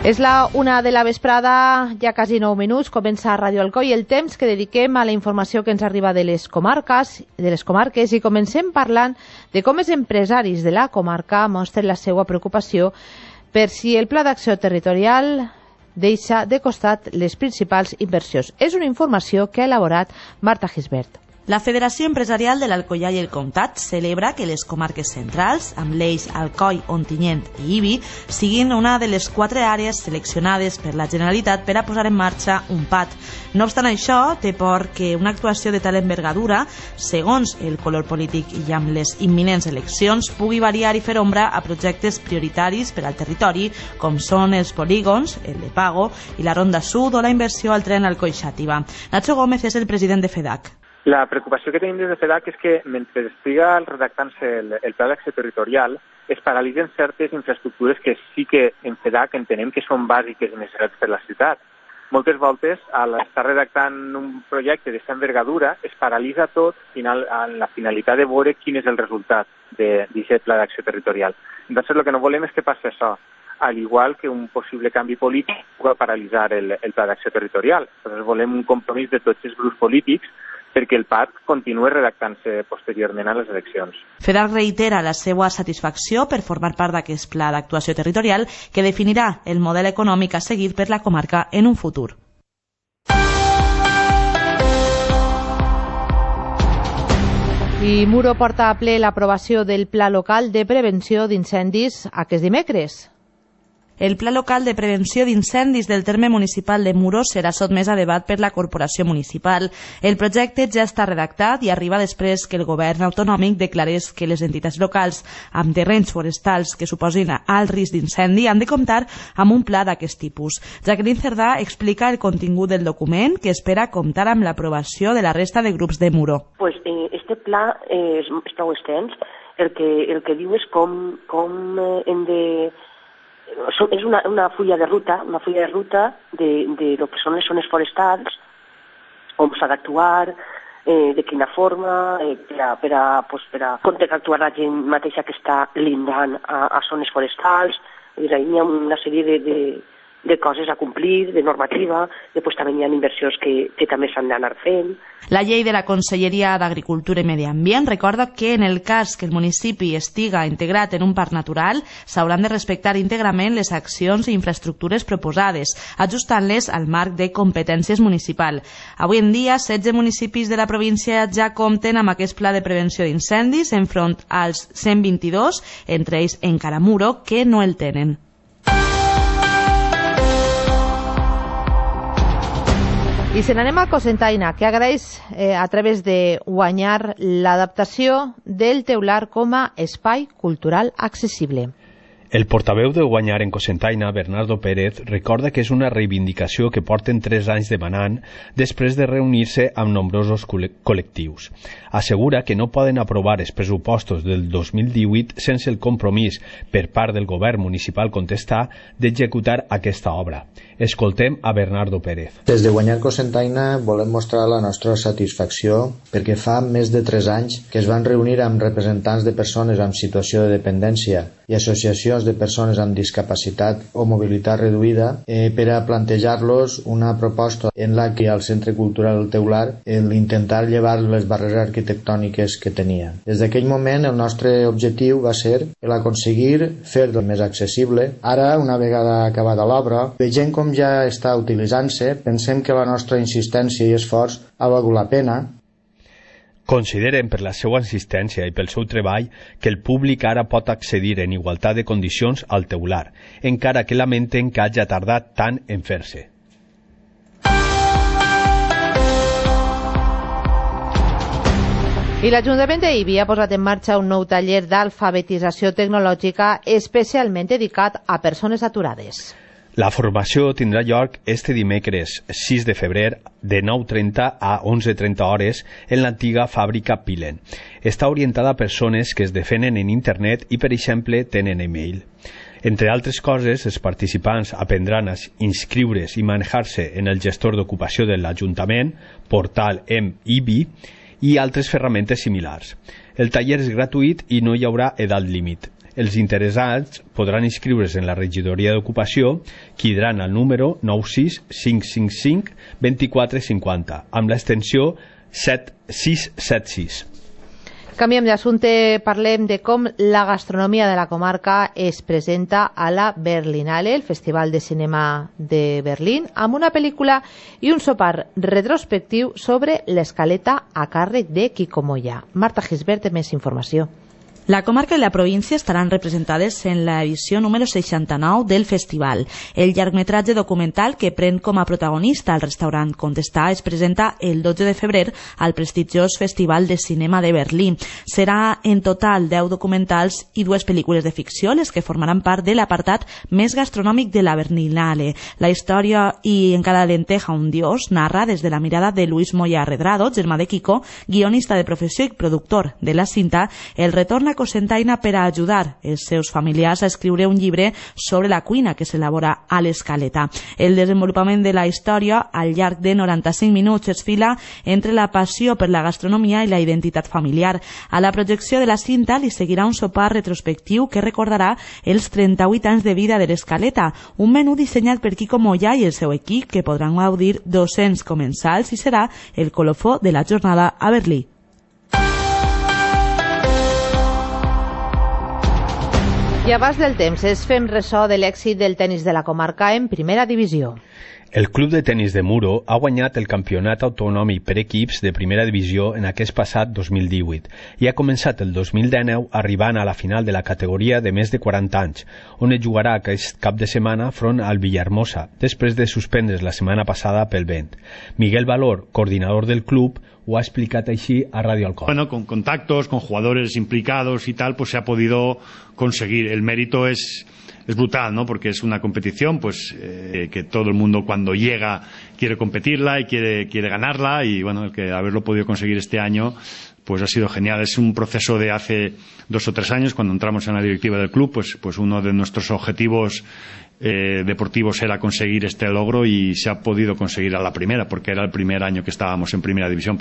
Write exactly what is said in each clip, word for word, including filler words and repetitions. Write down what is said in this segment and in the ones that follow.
És la una de la vesprada, ja quasi nou minuts, comença Ràdio Alcoi, el temps que dediquem a la informació que ens arriba de les comarques, de les comarques i comencem parlant de com els empresaris de la comarca mostren la seva preocupació per si el Pla d'Acció Territorial deixa de costat les principals inversions. És una informació que ha elaborat Marta Gisbert. La Federació Empresarial de l'Alcoià i el Comtat celebra que les comarques centrals, amb l'eix Alcoi, Ontinyent i Ibi, siguin una de les quatre àrees seleccionades per la Generalitat per a posar en marxa un P A T. No obstant això, té por que una actuació de tal envergadura, segons el color polític i amb les imminents eleccions, pugui variar i fer ombra a projectes prioritaris per al territori, com són els polígons, el de Pago i la Ronda Sud o la inversió al tren Alcoi-Xàtiva. Nacho Gómez és el president de FEDAC. La preocupació que tenim des de FEDAC és que mentre estiga redactant-se el, el Pla d'Acció Territorial es paralitzen certes infraestructures que sí que en FEDAC entenem que són bàsiques i necessàries per la ciutat. Moltes voltes, al estar redactant un projecte d'aquesta envergadura, es paralitza tot final, amb la finalitat de veure quin és el resultat d'aquest Pla d'Acció Territorial. Entonces, el que no volem és que passi això, al igual que un possible canvi polític pugui paralitzar el, el Pla d'Acció Territorial. Entonces, volem un compromís de tots els grups polítics perquè el P A T continuï redactant-se posteriorment a les eleccions. FEDAC reitera la seva satisfacció per formar part d'aquest pla d'actuació territorial que definirà el model econòmic a seguir per la comarca en un futur. I Muro porta a ple l'aprovació del Pla Local de Prevenció d'Incendis aquest dimecres. El Pla Local de Prevenció d'Incendis del terme municipal de Muro serà sotmès a debat per la Corporació Municipal. El projecte ja està redactat i arriba després que el govern autonòmic declarés que les entitats locals amb terrenys forestals que suposin alt risc d'incendi han de comptar amb un pla d'aquest tipus. Jacqueline Cerdà explica el contingut del document que espera comptar amb l'aprovació de la resta de grups de Muro. Pues, eh, este pla eh, és, és prou extens. El que, el que diu és com, com eh, hem de... És una, una fulla de ruta, una fulla de ruta de, de lo que són les zones forestals, on s'ha d'actuar, eh, de quina forma, eh, per, a, per, a, pues, per a com té que actuar la gent mateixa que està lindant a, a zones forestals. Hi ha una sèrie de, de, de coses a complir, de normativa, després també hi ha inversions que, que també s'han d'anar fent. La llei de la Conselleria d'Agricultura i Medi Ambient recorda que en el cas que el municipi estiga integrat en un parc natural s'hauran de respectar íntegrament les accions i infraestructures proposades, ajustant-les al marc de competències municipal. Avui en dia, setze municipis de la província ja compten amb aquest pla de prevenció d'incendis enfront als cent vint-i-dos, entre ells encara Muro, que no el tenen. I se n'anem a Cocentaina, que agraeix eh, a través de guanyar l'adaptació del teular com a espai cultural accessible. El portaveu de Guanyar en Cocentaina, Bernardo Pérez, recorda que és una reivindicació que porten tres anys demanant després de reunir-se amb nombrosos col·lectius. Assegura que no poden aprovar els pressupostos del dos mil divuit sense el compromís per part del govern municipal contestar d'executar aquesta obra. Escoltem a Bernardo Pérez. Des de Guanyar Cocentaina volem mostrar la nostra satisfacció perquè fa més de tres anys que es van reunir amb representants de persones amb situació de dependència i associacions de persones amb discapacitat o mobilitat reduïda eh, per a plantejar-los una proposta en la que al Centre Cultural del Teular el intentar llevar les barreres arquitectòniques que tenia. Des d'aquell moment el nostre objectiu va ser el aconseguir fer-lo més accessible. Ara, una vegada acabada l'obra, veient com ja està utilitzant-se, pensem que la nostra insistència i esforç ha valgut la pena. Consideren per la seva insistència i pel seu treball que el públic ara pot accedir en igualtat de condicions al teular, encara que lamenten que hagi tardat tant en fer-se. I l'Ajuntament d'Ibi ha posat en marxa un nou taller d'alfabetització tecnològica especialment dedicat a persones aturades. La formació tindrà lloc este dimecres sis de febrer de nou trenta a onze trenta hores en l'antiga fàbrica Pilen. Està orientada a persones que es defenen en internet i, per exemple, tenen e-mail. Entre altres coses, els participants aprendran a inscriure's i manejar-se en el gestor d'ocupació de l'Ajuntament, portal M-Ibi, i altres ferramentes similars. El taller és gratuït i no hi haurà edat límit. Els interessats podran inscriure's en la regidoria d'ocupació cridaran al número nou sis cinc cinc cinc dos quatre cinc zero amb l'extensió set sis set sis. Canviem d'assumpte, parlem de com la gastronomia de la comarca es presenta a la Berlinale, el Festival de Cinema de Berlín, amb una pel·lícula i un sopar retrospectiu sobre l'escaleta a càrrec de Quico Moya. Marta Gisbert té més informació. La comarca i la província estaran representades en la edició número seixanta-nou del festival. El llargmetratge documental que pren com a protagonista el restaurant Contestar es presenta el dotze de febrer al prestigiós Festival de Cinema de Berlín. Serà en total deu documentals i dues pel·lícules de ficció les que formaran part de l'apartat més gastronòmic de la Berlinale. La història i en cada lenteja un dios narra des de la mirada de Luis Moya Redrado, germà de Quico, guionista de professió i productor de la cinta, el retorn a Cocentaina per a ajudar els seus familiars a escriure un llibre sobre la cuina que s'elabora a l'Escaleta. El desenvolupament de la història al llarg de noranta-cinc minuts es fila entre la passió per la gastronomia i la identitat familiar. A la projecció de la cinta li seguirà un sopar retrospectiu que recordarà els trenta-vuit anys de vida de l'Escaleta, un menú dissenyat per Quico Moya i el seu equip que podran gaudir dos-cents comensals i serà el colofó de la jornada a Berlín. I abans del temps, es fem ressò de l'èxit del tenis de la comarca en primera divisió. El Club de Tenis de Muro ha guanyat el campionat autonòmic per equips de primera divisió en aquest passat dos mil divuit i ha començat el dos mil dinou arribant a la final de la categoria de més de quaranta anys, on es jugarà aquest cap de setmana front al Villahermosa, després de suspendre's la setmana passada pel vent. Miguel Valor, coordinador del club, ho ha explicat així a Radio Alcoy. Bueno, con contactos, con jugadores implicados y tal, pues se ha podido conseguir. El mérito es... es brutal, ¿no? Porque es una competición pues eh, que todo el mundo cuando llega quiere competirla y quiere, quiere ganarla y bueno, el que haberlo podido conseguir este año pues ha sido genial. Es un proceso de hace dos o tres años, cuando entramos en la directiva del club, pues, pues uno de nuestros objetivos eh, deportivos era conseguir este logro y se ha podido conseguir a la primera, porque era el primer año que estábamos en primera división.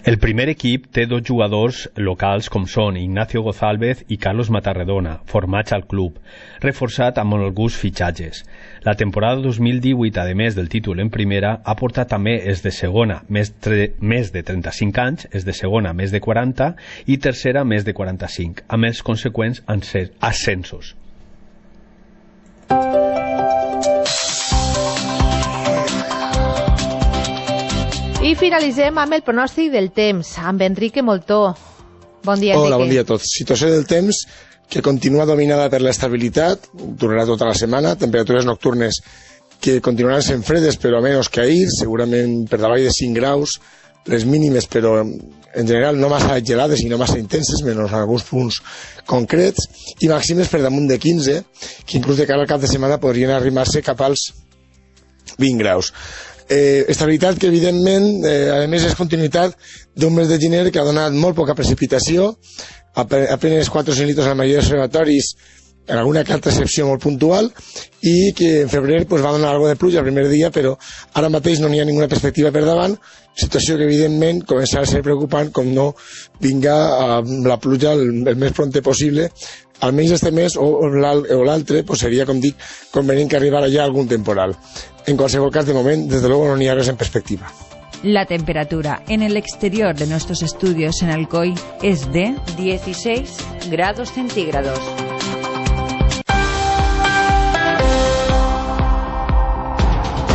El primer equip té dos jugadors locals com són Ignacio Gozálvez i Carlos Matarredona, formats al club, reforçat amb alguns fitxatges. La temporada dos mil divuit, a més del títol en primera, ha portat també els de segona més, tre... més de trenta-cinc anys, els de segona més de quaranta i tercera més de quaranta-cinc, amb els conseqüents ascensos. I finalitzem amb el pronòstic del temps, amb Enrique Moltó. Bon dia, Enrique. Hola, bon dia a tots. Situació del temps que continua dominada per l'estabilitat, durarà tota la setmana, temperatures nocturnes que continuaran sent fredes però menys que ahir, segurament per davall de cinc graus, les mínimes però en general no massa gelades i no massa intenses, menys en alguns punts concrets, i màximes per damunt de quinze, que inclús de cara al cap de setmana podrien arrimar-se cap als vint graus. Eh, estabilitat que evidentment eh, a més és continuïtat d'un mes de gener que ha donat molt poca precipitació, apenas quatre o cinc litres a la majoria dels observatoris, en alguna altra excepció molt puntual, i que en febrer pues, va donar algo de pluja el primer dia, però ara mateix no n'hi ha ninguna perspectiva per davant, situació que evidentment començarà a ser preocupant com no vinga eh, la pluja el, el més prompte possible, almenys este mes o, o l'altre pues, seria, com dic, convenient que arribara ja algun temporal. En qualsevol cas, de moment, desde luego no n'hi ha res en perspectiva. La temperatura en el exterior de nuestros estudios en Alcoy es de dieciséis grados centígrados.